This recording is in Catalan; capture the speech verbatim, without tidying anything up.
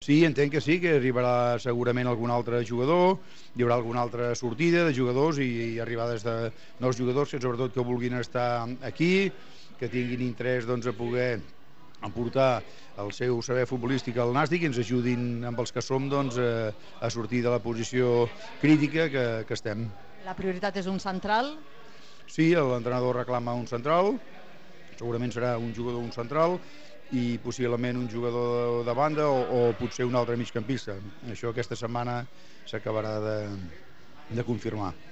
Sí, entenc que sí, que arribarà segurament algun altre jugador, hi haurà alguna altra sortida de jugadors i, i arribades de nous jugadors que sobretot que vulguin estar aquí, que tinguin interès doncs, a poder aportar el seu saber futbolístic al Nàstic i ens ajudin amb els que som doncs, a, a sortir de la posició crítica que, que estem. La prioritat és un central? Sí, l'entrenador reclama un central, segurament serà un jugador un central i possiblement un jugador de banda o, o potser un altre migcampista. Això aquesta setmana s'acabarà de, de confirmar.